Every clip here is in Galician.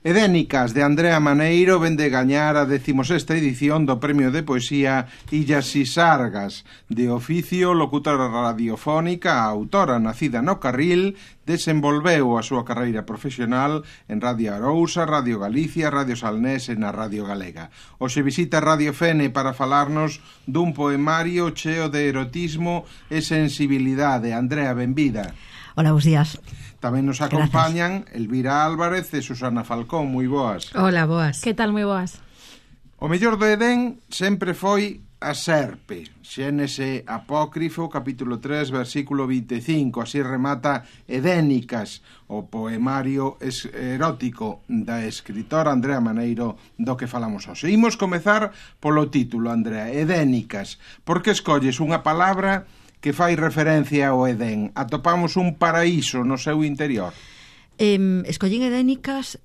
Edénicas, de Andrea Maneiro, vende gañar a 16ª edición do Premio de Poesía Illas Sisargas. De oficio, locutora radiofónica, a autora nacida no Carril, desenvolveu a súa carreira profesional en Radio Arousa, Radio Galicia, Radio Salnés e na Radio Galega. Hoxe visita Radio Fene para falarnos dun poemario cheo de erotismo e sensibilidade. Andrea, benvida. Hola, bons días. Tamén nos acompañan Elvira Álvarez e Susana Falcón. Moi boas. Hola, boas. Que tal, moi boas? O mellor do Edén sempre foi a serpe. Xénese Apócrifo, capítulo 3, versículo 25. Así remata Edénicas, o poemario erótico da escritora Andrea Maneiro do que falamos hoxe. Imos comezar polo título, Andrea, Edénicas. Por que escolles unha palabra que fai referencia ao Edén? Atopamos un paraíso no seu interior. Escollín Edénicas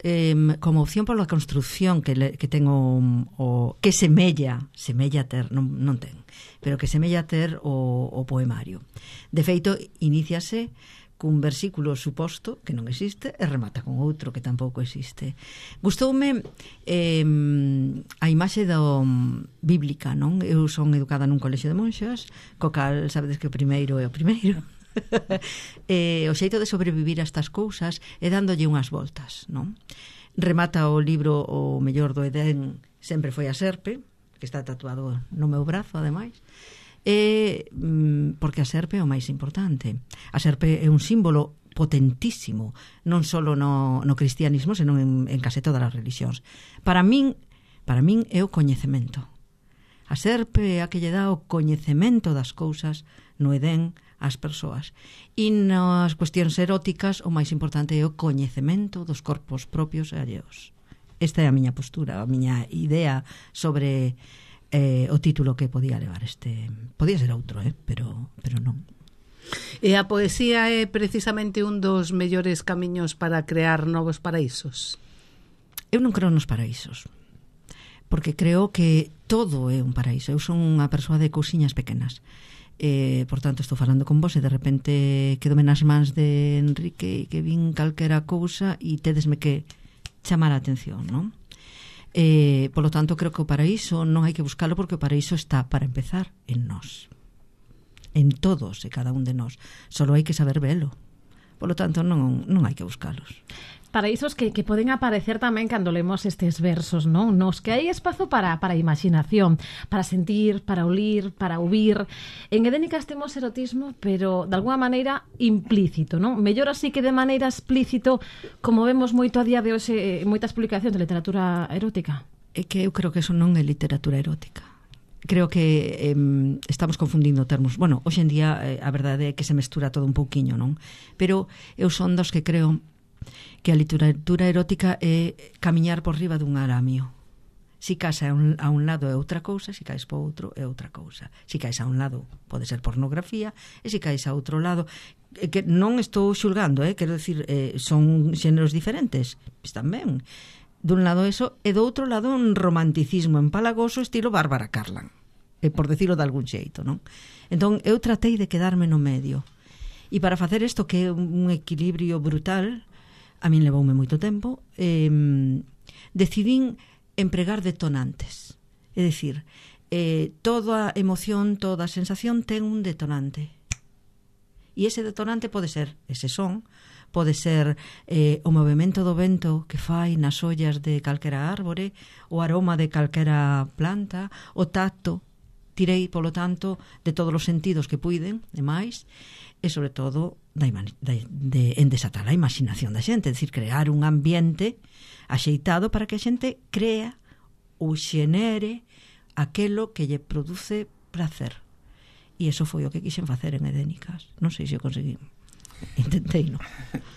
como opción pola construcción que ten o que semella ter, non ten, pero que semella ter o poemario. De feito, iníciase cun versículo suposto que non existe e remata con outro que tampouco existe. Gustoume a imaxe do bíblica, non? Eu son educada nun colexio de monxas, co cal sabedes que o primeiro é o primeiro. O xeito de sobrevivir a estas cousas é dándolle unhas voltas, non? Remata o libro O mellor do Edén sempre foi a serpe, que está tatuado no meu brazo, ademais. Porque a serpe é o máis importante. A serpe é un símbolo potentísimo, non só no cristianismo, senón en case todas as religións. Para min é o coñecemento. A serpe é a que lle dá o coñecemento das cousas no Edén ás persoas. E nas cuestións eróticas o máis importante é o coñecemento dos corpos propios e alleos. Esta é a miña postura, a miña idea sobre o título que podía levar este. Podía ser outro, pero non. E a poesía é precisamente un dos mellores camiños para crear novos paraísos? Eu non creo nos paraísos, porque creo que todo é un paraíso. Eu son unha persoa de cousiñas pequenas. Por tanto, estou falando con vos e de repente quedome nas mans de Enrique e que vin calquera cousa e tedesme que chamar a atención, non? Polo tanto, creo que o paraíso non hai que buscalo, porque o paraíso está, para empezar, en nós, en todos e cada un de nós. Solo hai que saber velo. Polo tanto, non hai que buscalos. Paraísos que poden aparecer tamén cando lemos estes versos, non? Nos que hai espazo para a imaginación, para sentir, para olir, para ouvir. En Edénicas temos erotismo, pero de alguna maneira implícito, non? Mellor así que de maneira explícito, como vemos moito a día de hoxe en moitas publicacións de literatura erótica. É que eu creo que eso non é literatura erótica. Creo que estamos confundindo termos. Bueno, hoxe en día a verdade é que se mestura todo un pouquiño, non? Pero eu son dos que creo que a literatura erótica é camiñar por riba dun aramio. Si caes a un lado é outra cousa, si caes por outro é outra cousa. Si caes a un lado pode ser pornografía, e si caes a outro lado, que non estou xulgando, quero decir, son xéneros diferentes, están ben. Dun lado eso, e do outro lado un romanticismo empalagoso estilo Bárbara Carlan, por decirlo de algún xeito, non? Entón, eu tratei de quedarme no medio. E para facer isto, que é un equilibrio brutal, a min levoume moito tempo, decidín empregar detonantes. É dicir, toda emoción, toda sensación ten un detonante. E ese detonante pode ser ese son, pode ser o movimento do vento que fai nas ollas de calquera árbore, o aroma de calquera planta, o tacto. Tirei, polo tanto, de todos os sentidos que puiden, e máis, e sobre todo en desatar a imaginación da xente, é dicir, crear un ambiente axeitado para que a xente crea ou xenere aquelo que lle produce placer. E iso foi o que quixen facer en Edénicas. Non sei se o conseguí. Intentei, non?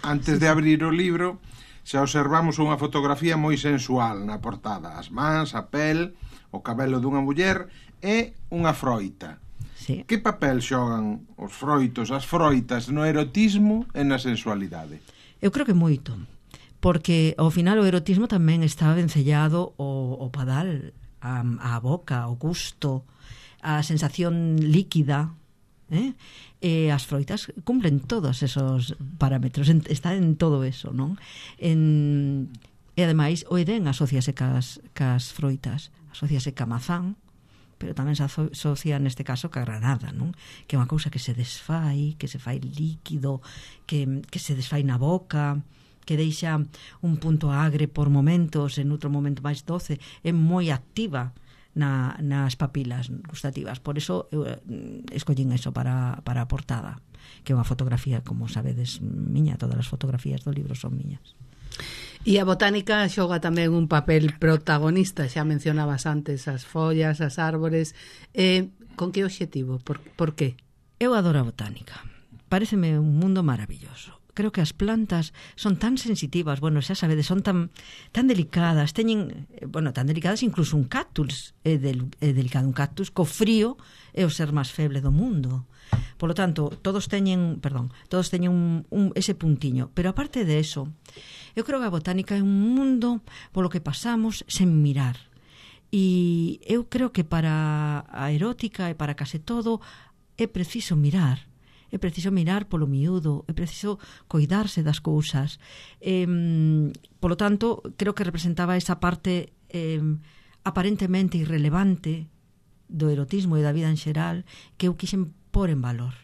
Antes de abrir o libro, xa observamos unha fotografía moi sensual na portada. As mans, a pel, o cabelo dunha muller e unha froita. Sí. Que papel xogan os froitos, as froitas no erotismo e na sensualidade? Eu creo que moito, porque ao final o erotismo tamén está vencellado ao padal, á boca, ao gusto, a sensación líquida, e as froitas cumplen todos esos parámetros, está en todo eso, non? E ademais o Edén asociase cas froitas, asociase ca mazán, pero tamén se asocia neste caso ca granada, non? Que é unha cousa que se desfai, que se fai líquido, que se desfai na boca, que deixa un punto agre por momentos, en outro momento máis doce, é moi activa nas papilas gustativas. Por eso eu escollín eso para a portada, que é unha fotografía, como sabedes, miña, todas as fotografías do libro son miñas. E a botánica xoga tamén un papel protagonista, xa mencionabas antes as follas, as árbores. Con que obxectivo? Por qué? Eu adoro a botánica. Paréceme un mundo maravilloso. Creo que as plantas son tan sensitivas, bueno, xa sabedes, son tan delicadas, teñen, bueno, tan delicadas, incluso un cactus é delicado, un cactus co frío é o ser máis feble do mundo. Por lo tanto, todos teñen ese puntiño, pero aparte de eso, eu creo que a botánica é un mundo polo que pasamos sen mirar. E eu creo que para a erótica e para case todo é preciso mirar. É preciso mirar polo miúdo, é preciso coidarse das cousas. Polo tanto, creo que representaba esa parte aparentemente irrelevante do erotismo e da vida en xeral que eu quixen pôr en valor.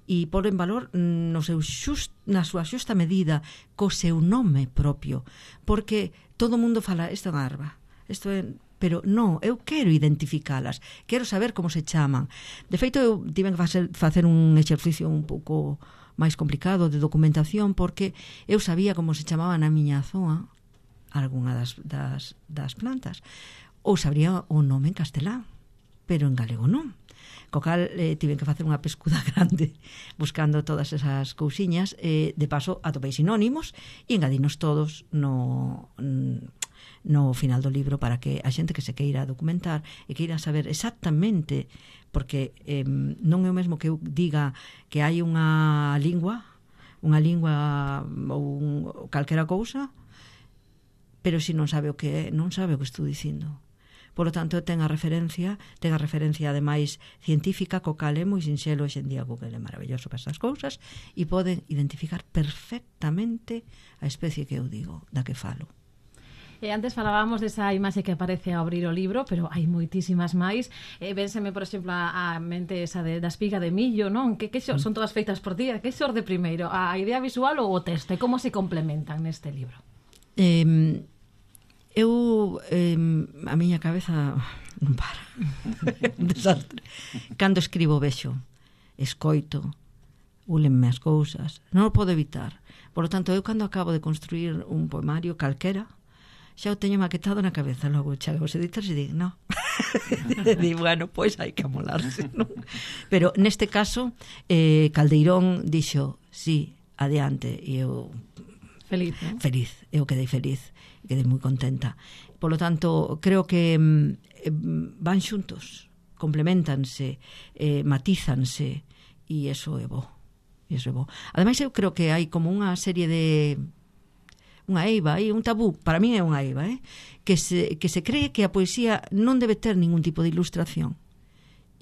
E pôr en valor na súa xusta medida, co seu nome propio, porque todo o mundo fala, isto é unha arba, isto é... Pero non, eu quero identificalas, quero saber como se chaman. De feito, eu tive que facer un exercicio un pouco máis complicado de documentación, porque eu sabía como se chamaban na miña zoa algunha das plantas, ou sabría o nome en castelán, pero en galego non. Co cal tive que facer unha pescuda grande buscando todas esas cousiñas, de paso atopei sinónimos e engadinos todos no final do libro para que a xente que se queira documentar e queira saber exactamente, porque non é o mesmo que eu diga que hai unha lingua ou calquera cousa, pero se non sabe o que é, non sabe o que estou dicindo. Por lo tanto, ten a referencia ademais científica, co cal é moi sinxelo. Hoxe en día Google é maravilloso para estas cousas e poden identificar perfectamente a especie que eu digo, da que falo. Antes falábamos desa imaxe que aparece ao abrir o libro, pero hai moitísimas máis. Vénseme, por exemplo, a mente esa da espiga de millo, non? Que son todas feitas por ti. Que xorde primeiro? A idea visual ou o texto? E como se complementan neste libro? A miña cabeza non para. Un desastre. Cando escribo vexo, escoito, úlenme as cousas, non o podo evitar. Por lo tanto, eu cando acabo de construir un poemario calquera, xa o teño maquetado na cabeza, logo chego aos editores e digo, no. Digo, bueno, pois hai que amolarse, non? Pero neste caso, Caldeirón dixo, sí, adiante, e eu feliz, non? Feliz, eu quedei feliz, quedei moi contenta. Por lo tanto, creo que van xuntos, complementanse, matízanse, e eso é bo. Ademais, eu creo que hai como unha serie de... unha eiva, un tabú, para mí é unha eiva, que se cree que a poesía non debe ter ningún tipo de ilustración.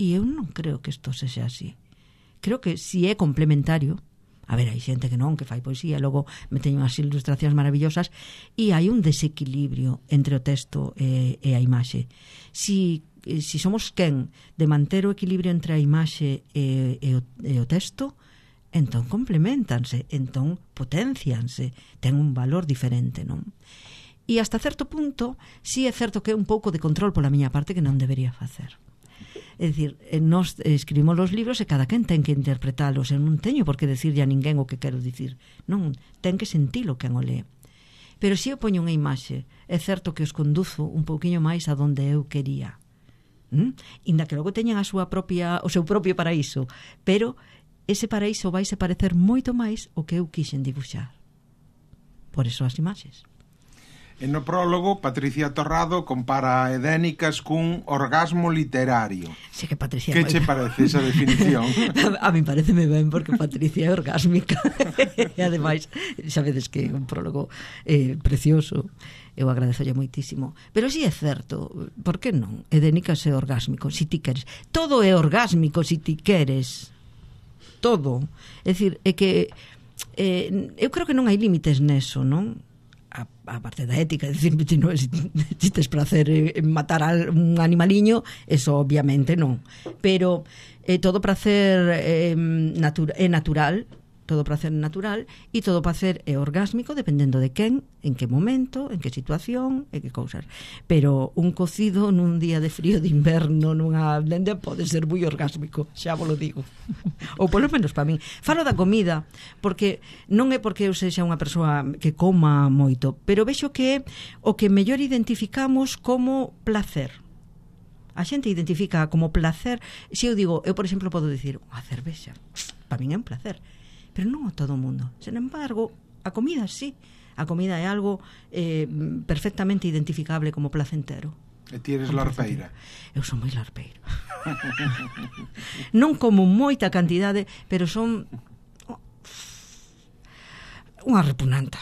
E eu non creo que isto sexa así. Creo que si é complementario, a ver, hai xente que non, que fai poesía, logo me teño unhas ilustracións maravillosas, e hai un desequilibrio entre o texto e a imaxe. Si somos quen de manter o equilibrio entre a imaxe e o texto, entón complementanse, entón potencianse, ten un valor diferente, non? E hasta certo punto, si é certo que é un pouco de control pola miña parte que non debería facer. É dicir, nós escribimos os libros e cada quen ten que interpretalos, eu non teño por que decirlle a ninguén o que quero dicir, non, ten que sentilo quen o lee. Pero se eu poño unha imaxe, é certo que os conduzo un pouquiño máis a donde eu quería. Inda que logo teñan o seu propio paraíso, pero ese paraíso vai se parecer moito máis o que eu quixen dibuixar. Por eso as imaxes. En no prólogo, Patricia Torrado compara a Edénicas cun orgasmo literario. Sí, que Patricia... Que che parece esa definición? A mí pareceme ben, porque Patricia é orgásmica. E ademais, sabedes que é un prólogo precioso. Eu agradezolle moitísimo. Pero si é certo, por que non? Edénicas é orgásmico, si ti queres. Todo é orgásmico si ti queres. Todo. É dicir, é que eu creo que non hai límites neso, non? a parte da ética, é dicir, se tes prazer en matar un animaliño, eso obviamente non, pero todo prazer é natural, todo prazer natural, e todo prazer é orgásmico dependendo de quen, en que momento, en que situación, en que cousas. Pero un cocido nun día de frío de inverno nunha blenda pode ser moi orgásmico, xa vos lo digo. Ou polo menos para min. Falo da comida, porque non é porque eu sexa unha persoa que coma moito, pero vexo que é o que mellor identificamos como placer. A xente identifica como placer, se eu digo, eu por exemplo podo dicir, unha cervexa, para min é un placer, pero non a todo o mundo. Sen embargo, a comida sí. A comida é algo perfectamente identificable como placentero. E ti eres larpeira? Eu son moi larpeira. Non como moita cantidade, pero son unha repugnanta.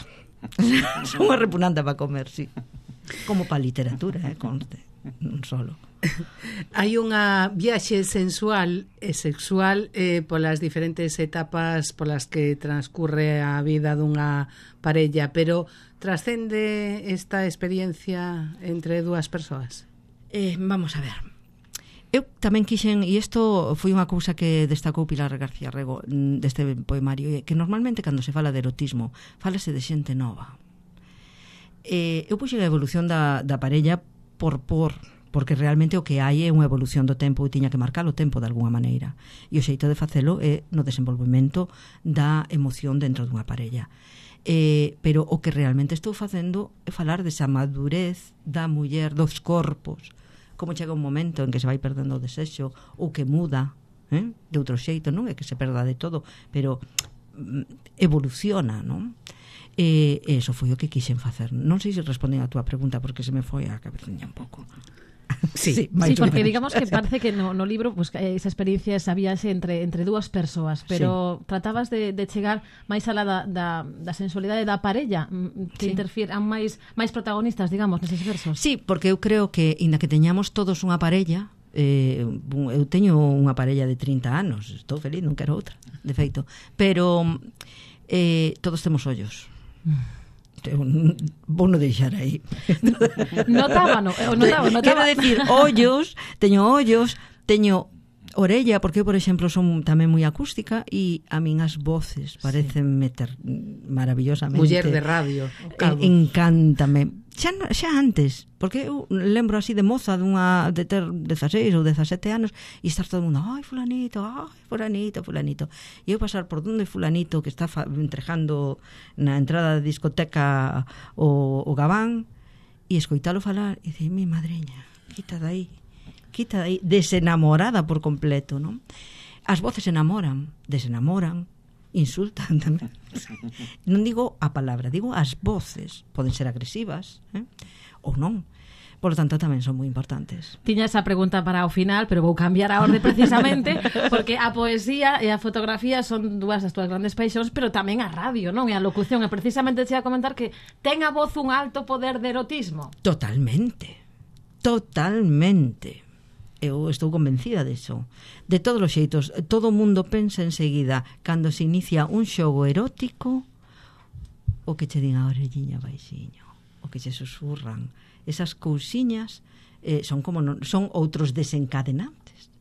Son unha repugnanta para comer, sí. Como para a literatura, conste. Non solo. Hai unha viaxe sensual e sexual polas diferentes etapas polas que transcurre a vida dunha parella, pero trascende esta experiencia entre dúas persoas? Vamos a ver. Eu tamén quixen, e isto foi unha cousa que destacou Pilar García Rego deste poemario, que normalmente cando se fala de erotismo fálase de xente nova. Eu puxen a evolución da parella porque realmente o que hai é unha evolución do tempo e tiña que marcar o tempo de alguna maneira, e o xeito de facelo é no desenvolvemento da emoción dentro dunha parella. Pero o que realmente estou facendo é falar desa madurez da muller, dos corpos, como chega un momento en que se vai perdendo o desexo ou que muda de outro xeito, non é que se perda de todo, pero evoluciona, non? E eso foi o que quixen facer. Non sei se responden a túa pregunta porque se me foi a cabeciña un pouco. Sí, porque digamos que parece que no libro pues, esa experiencia, esa viaxe entre dúas persoas, pero tratabas de chegar máis alá da sensualidade da parella, que interfiran máis protagonistas, digamos, neses versos. Sí, porque eu creo que, inda que teñamos todos unha parella, eu teño unha parella de 30 anos, estou feliz, non quero outra, de feito, pero todos temos ollos. Vou non deixar aí. Notaba. Quero decir, teño orella, porque eu, por exemplo, son tamén moi acústica e a min as voces parecen meter maravillosamente. Muller de radio. Encántame. Xa antes, porque eu lembro así de moza de ter 16 ou 17 anos e estar todo o mundo, ai, fulanito. E eu pasar por donde fulanito que está entregando na entrada da discoteca o gabán e escoitalo falar e dicir, mi madreña, quita dai, desenamorada por completo, non? As voces enamoran, desenamoran, insultan tamén. Non digo a palabra, digo as voces. Poden ser agresivas, ou non. Por lo tanto, tamén son moi importantes. Tiña esa pregunta para o final, pero vou cambiar a orde precisamente, porque a poesía e a fotografía son dúas das túas grandes paixóns, pero tamén a radio, non? E a locución. E precisamente te ia comentar que ten a voz un alto poder de erotismo. Totalmente. Eu estou convencida disso. De todos os xeitos, todo o mundo pensa enseguida cando se inicia un xogo erótico o que che din a orelliña baixiño, o que che susurran. Esas cousiñas son outros desencadenantes,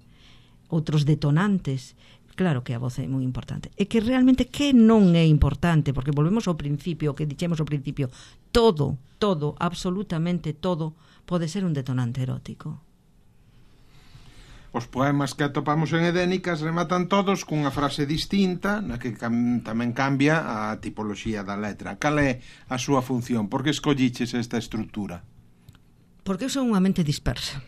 outros detonantes. Claro que a voz é moi importante. E que realmente que non é importante, porque volvemos ao principio, que dixemos ao principio, todo, absolutamente todo, pode ser un detonante erótico. Os poemas que atopamos en Edénicas rematan todos cunha frase distinta na que tamén cambia a tipoloxía da letra. Cal é a súa función? Por que escolliches esta estrutura? Porque eu son unha mente dispersa.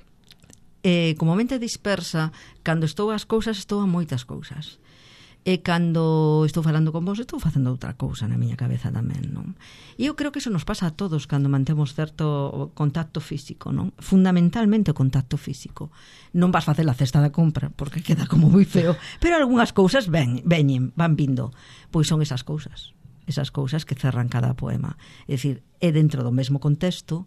Como mente dispersa, cando estou ás cousas, estou a moitas cousas. E cando estou falando con vos, estou facendo outra cousa na miña cabeza tamén, non? E eu creo que eso nos pasa a todos cando mantemos certo contacto físico, non? Fundamentalmente o contacto físico. Non vas facer a cesta da compra, porque queda como moi feo, pero algunhas cousas van vindo. Pois son esas cousas que cerran cada poema. É dicir, é dentro do mesmo contexto,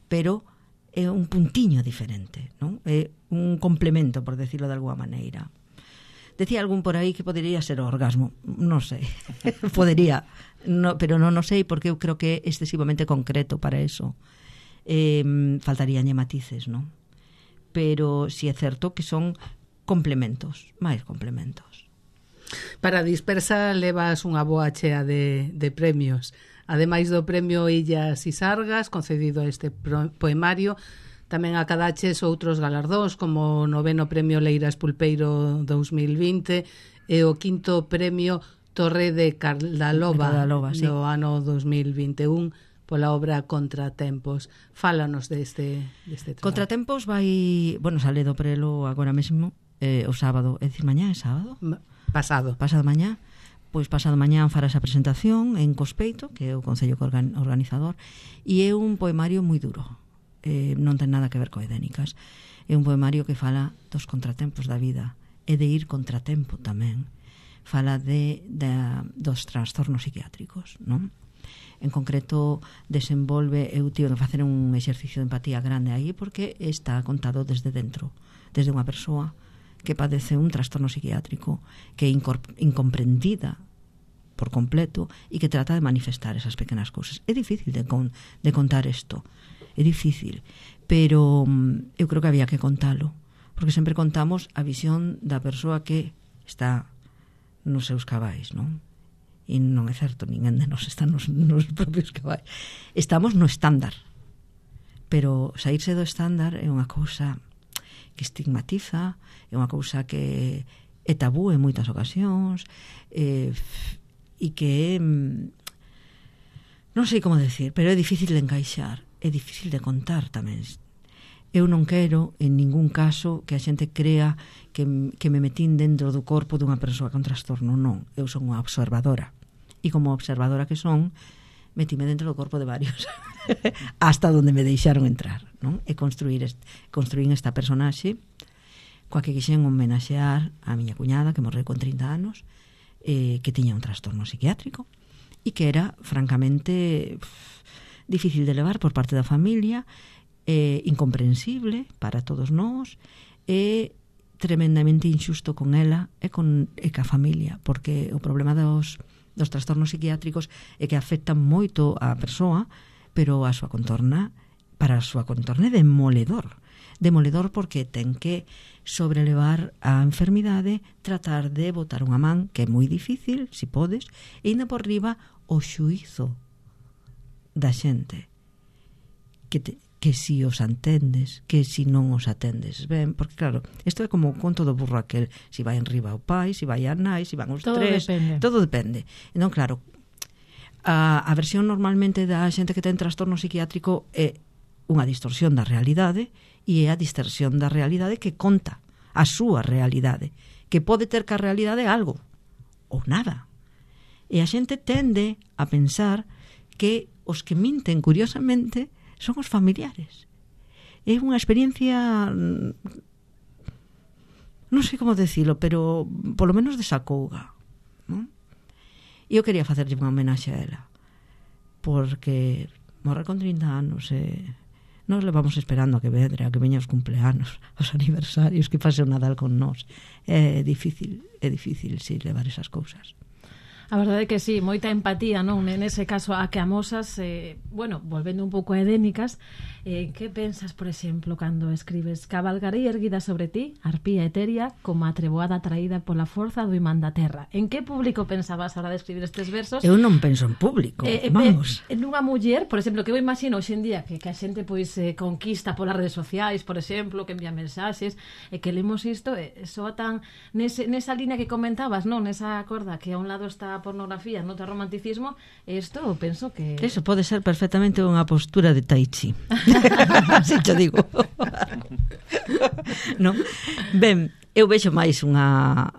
pero é un puntiño diferente, non? É un complemento, por decirlo de alguma maneira. Decía algún por aí que podería ser o orgasmo, non sei. Podería, no, pero non o sei porque eu creo que é excesivamente concreto para eso. Faltaríanlle matices, non? Pero si é certo que son complementos, máis complementos. Para Dispersa levas unha boa chea de premios. Ademais do premio Illas e Sargas, concedido a este poemario, tamén acadaches outros galardóns como o 9º Premio Leiras Pulpeiro 2020 e o 5º Premio Torre de Cardaloba sí. no ano 2021 pola obra Contratempos. Fálanos deste traballo. Contratempos vai, bueno, sale do prelo agora mesmo, o sábado, é dicir, mañá é sábado? Pasado mañá. Pois pasado mañá fará esa presentación en Cospeito, que é o concello organizador, e é un poemario moi duro. Non ten nada que ver co Edénicas. É un poemario que fala dos contratempos da vida e de ir contratempo tamén. Fala dos trastornos psiquiátricos, non? En concreto desenvolve, eu tive que facer un exercicio de empatía grande aí porque está contado desde dentro, desde unha persoa que padece un trastorno psiquiátrico, que é incomprendida por completo e que trata de manifestar esas pequenas cousas. É difícil de contar isto, é difícil, pero eu creo que había que contalo, porque sempre contamos a visión da persoa que está nos seus cabais, non? E non é certo, ninguén de nós está nos propios cabais. Estamos no estándar, pero saírse do estándar é unha cousa que estigmatiza, é unha cousa que é tabú en moitas ocasións, e que é, non sei como decir, pero é difícil de encaixar, é difícil de contar tamén. Eu non quero en ningún caso que a xente crea que me metín dentro do corpo dunha persoa con trastorno, non. Eu son unha observadora, e como observadora que son, metíme dentro do corpo de varios hasta onde me deixaron entrar, non? E construín esta personaxe coa que quixen homenaxear a miña cuñada que morreu con 30 anos, que tiña un trastorno psiquiátrico e que era francamente difícil de levar por parte da familia, incomprensible para todos nós, e tremendamente injusto con ela e ca familia, porque o problema dos trastornos psiquiátricos é que afectan moito á persoa, pero a súa contorna, para a súa contorna é demoledor porque ten que sobrelevar a enfermidade, tratar de botar unha man, que é moi difícil, se podes, e ainda por riba o xuízo da xente, que si os atendes, que si non os atendes ben, porque claro, isto é como o conto do burro aquel, si vai en riba o pai, si vai a nai, si van os tres, todo depende. Entón, claro, a versión normalmente da xente que ten trastorno psiquiátrico é unha distorsión da realidade, e é a distorsión da realidade que conta a súa realidade, que pode ter que a realidade algo ou nada. E a xente tende a pensar que os que minten curiosamente son os familiares. É unha experiencia, non sei como decilo, pero polo menos desacouga, non? E eu quería facerlle unha homenaxe a ela, porque morre con 30 anos e nós levamos esperando a que veña os cumpleanos, os aniversarios, que fase o Nadal con nós. É difícil si levar esas cousas. A verdade é que sí, moita empatía, non? Nese caso a que amosas, bueno, volvendo un pouco a Edénicas, que pensas, por exemplo, cando escribes cabalgarei erguida sobre ti, arpía etérea, como a treboada traída pola forza do imán da terra? En que público pensabas a hora de escribir estes versos? Eu non penso en público, vamos. Nunha muller, por exemplo, que eu imagino hoxe en día que a xente pois conquista polas redes sociais, por exemplo, que envía mensaxes, e que lemos isto, soa tan nesa línea que comentabas, non? Nesa corda que a un lado está a pornografía, no outro romanticismo, isto penso que... Eso pode ser perfectamente unha postura de tai chi. Así te digo. Non? Ben, eu vexo máis unha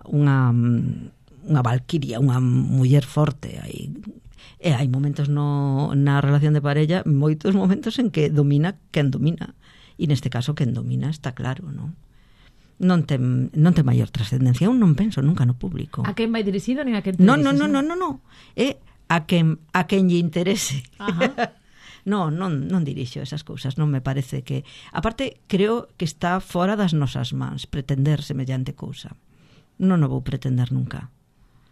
valquiria, unha muller forte aí. E hai momentos na relación de parella, moitos momentos en que domina quen domina. E neste caso quen domina está claro, non? Non ten maior trascendencia. Eu non penso nunca no público. A quen vai dirixido nin a quen Non. É a quen lle interese. Non dirixo esas cousas. Non me parece que... Aparte, creo que está fora das nosas mans pretender semellante cousa. Non o vou pretender nunca.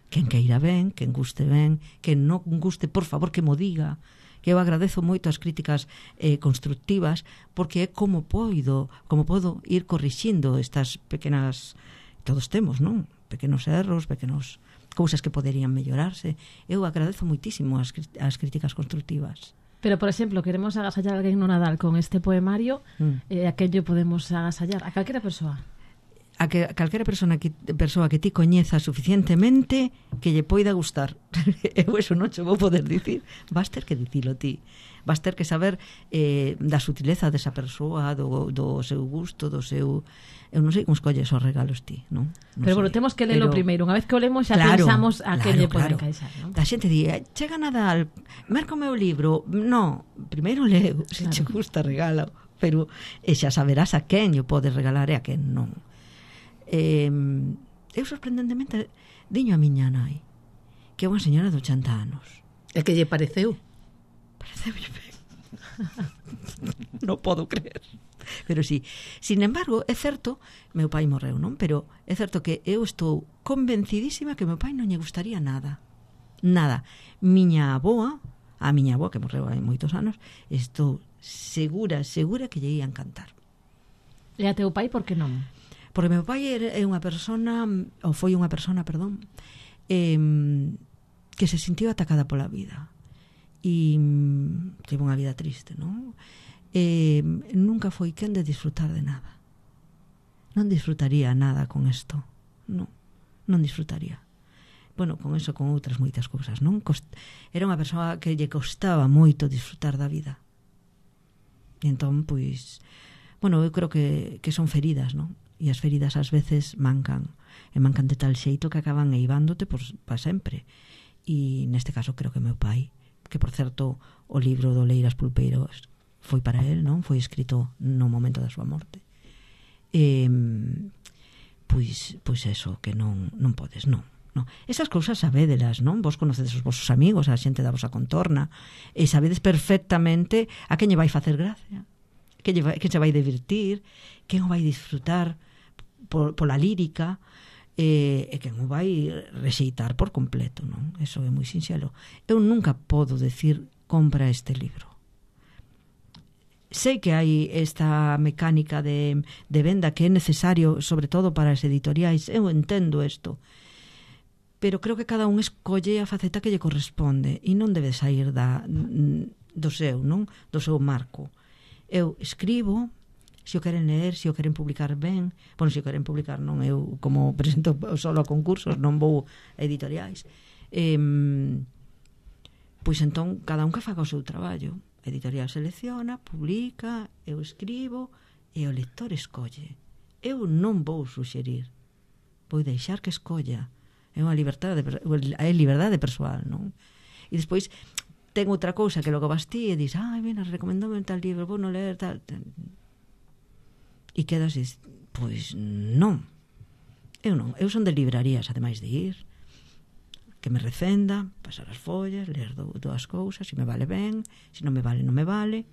Quen queira ben, quen guste ben, quen non guste, por favor, que mo diga. Que eu agradezo moito as críticas constructivas, porque é como podo ir corrixindo estas pequenas, todos temos, non? Pequenos erros, pequenos cousas que poderían mellorarse. Eu agradezo moitísimo as críticas constructivas. Pero, por exemplo, queremos agasallar a alguén no Nadal con este poemario, aquello podemos agasallar a calquera persoa. A calquera persoa que ti coñeza suficientemente que lle poida gustar. Eu eso non che vou poder dicir. Vas ter que dicilo ti. Vas ter que saber da sutileza desa persoa, do seu gusto, do seu... Eu non sei como escolles os regalos ti, non? Pero bueno, temos que lelo primeiro. Unha vez que o lemos xa pensamos a que lle pode encaixar, non? A xente di, chega Nadal, marca o meu libro. No, primeiro leo, se che gusta regalo. Pero xa saberás a quen lle podes regalar e a quen non. Eu sorprendentemente diño a miña nai que é unha señora de 80 anos. E que lle pareceu? Pareceu ben. Non podo creer. Pero sí, sin embargo, é certo, meu pai morreu, non? Pero é certo que eu estou convencidísima que meu pai non lle gustaría nada. Nada. Miña aboa que morreu hai moitos anos, estou segura que lle ia encantar. E a teu pai por que non? Porque meu pai é unha persona, ou foi unha persona, perdón, que se sentiu atacada pola vida. E teve unha vida triste, non? Nunca foi quen de disfrutar de nada. Non disfrutaría nada con isto. Non disfrutaría. Bueno, con eso, con outras moitas cousas, non? Era unha persoa que lle costaba moito disfrutar da vida. E entón, pois, bueno, eu creo que son feridas, non? E as feridas ás veces mancan. E mancan de tal xeito que acaban eivándote para sempre. E neste caso creo que meu pai, que por certo o libro do Leiras Pulpeiros foi para él, non? Foi escrito no momento da súa morte. Pois eso, que non podes, non. Esas cousas sabédelas, non? Vos conocedes os vosos amigos, a xente da vosa contorna, e sabedes perfectamente a quen lle vai facer gracia, quen se vai divertir, quen o vai disfrutar pola lírica, e quen o vai rexeitar por completo, non? Eso é moi sinxelo. Eu nunca podo decir compra este libro. Sei que hai esta mecánica de venda que é necesario, sobre todo para as editoriais. Eu entendo isto, pero creo que cada un escolle a faceta que lle corresponde e non debe sair do seu, non? Do seu marco. Eu escribo, se o queren ler, se o queren publicar ben. Bueno, se o queren publicar non, eu como presento solo a concursos, non vou a editoriais. Pois entón, cada un que faga o seu traballo. A editorial selecciona, publica, eu escribo e o lector escolle. Eu non vou suxerir, vou deixar que escolla. É unha liberdade persoal, non? E despois ten outra cousa que logo vas ti e dis, mira, recomendame tal libro, vou non ler tal. E quedas, pois non. Eu son de librarías, ademais de ir, que me recenda, pasar as follas, ler dúas cousas, se me vale ben, se non me vale, non me vale,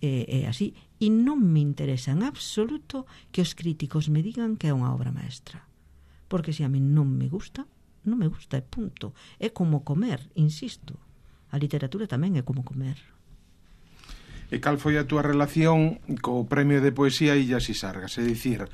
e así. E non me interesa en absoluto que os críticos me digan que é unha obra maestra, porque se a mí non me gusta, e punto. É como comer, insisto, a literatura tamén é como comer. E cal foi a túa relación co Premio de Poesía Illas e Sargas? É dicir,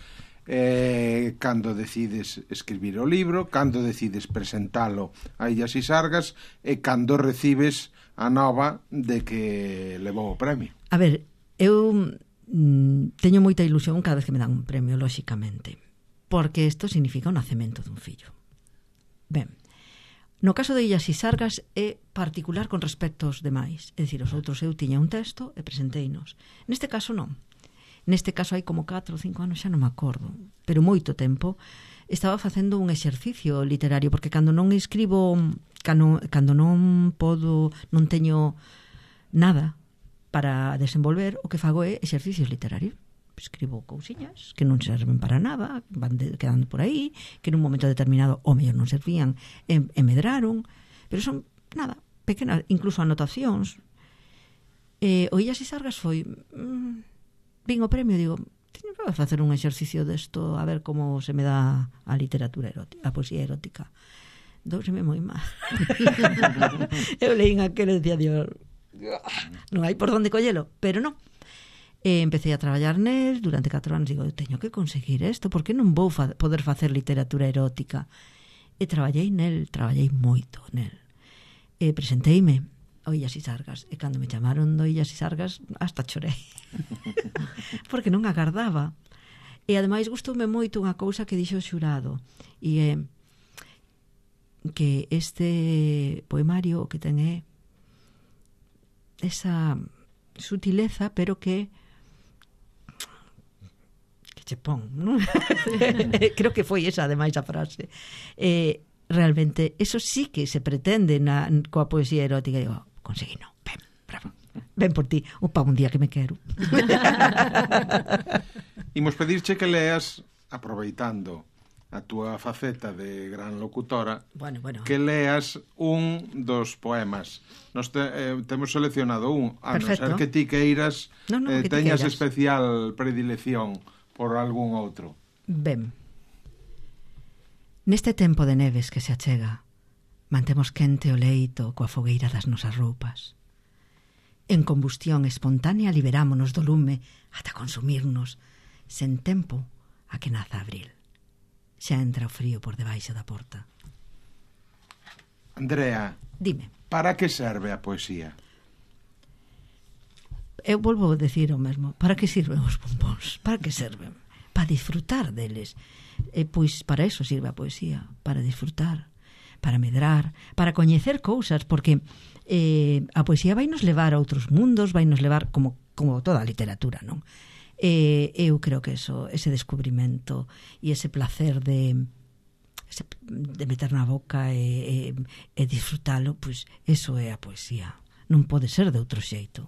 cando decides escribir o libro, cando decides presentalo a Illas e Sargas e cando recibes a nova de que levou o premio. A ver, eu teño moita ilusión cada vez que me dan un premio, lóxicamente, porque isto significa o nacemento dun fillo. Ben, no caso de Illas e Sargas é particular con respecto aos demais, é dicir, os outros eu tiña un texto e presenteinos. Neste caso non. Neste caso hai como 4 ou 5 anos, xa non me acordo, pero moito tempo estaba facendo un exercicio literario, porque cando non escribo, cando non podo, non teño nada para desenvolver, o que fago é exercicios literarios. Escribo cousiñas que non serven para nada, van quedando por aí, que nun momento determinado o mellor non servían e medraron, pero son, nada, pequenas, incluso anotacións. O Illas e Sargas foi... vin o premio e digo, teño que facer un exercicio desto, a ver como se me dá a literatura erótica, a poesía erótica. Douseme moi mal. Eu leín aquel e decía, Dios, non hai por onde collelo, pero non. Empecé a traballar nel durante 4 anos, digo, eu teño que conseguir isto, porque non vou poder facer literatura erótica. E traballei moito nel. E presenteime ao Illas e Sargas, e cando me chamaron do Illas e Sargas hasta chorei. Porque non agardaba. E ademais gustoume moito unha cousa que dixo o xurado, e é que este poemario que ten é esa sutileza, pero que che pon, non? Creo que foi esa ademais a frase. Realmente eso sí que se pretende coa poesía erótica. E digo, conseguí, non, ben, bravo, ben por ti, un día que me quero. Imos pedirche que leas, aproveitando a túa faceta de gran locutora, bueno. que leas un dos poemas. Nos temos seleccionado un, a non ser que ti queiras, que teñas especial predilección por algún outro. Ben. Neste tempo de neves que se achega, mantemos quente o leito coa fogueira das nosas roupas. En combustión espontánea liberámonos do lume ata consumirnos, sen tempo a que naza abril. Xa entra o frío por debaixo da porta. Andrea, dime, para que serve a poesía? Eu volvo a decir o mesmo. Para que sirven os bombóns? Para que serven? Para disfrutar deles. Pois para eso sirve a poesía. Para disfrutar, para medrar, para coñecer cousas, porque a poesía vai nos levar a outros mundos, vai nos levar como toda a literatura, non? Eu creo que ese descubrimento e ese placer de meter na boca e disfrutalo, pois eso é a poesía. Non pode ser de outro xeito.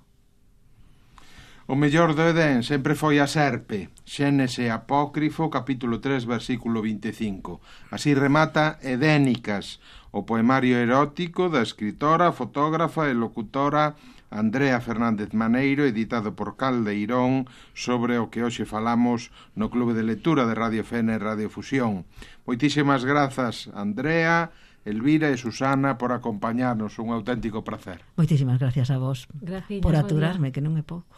O mellor do Edén sempre foi a serpe. Xénese Apócrifo, capítulo 3, versículo 25. Así remata Edénicas, o poemario erótico da escritora, fotógrafa e locutora Andrea Fernández Maneiro, editado por Caldeirón, sobre o que hoxe falamos no Clube de Lectura de Radio Fene e Radio Fusión. Moitísimas grazas, Andrea, Elvira e Susana, por acompañarnos. Un auténtico placer. Moitísimas gracias a vos. Graciñas, por aturarme, que non é pouco.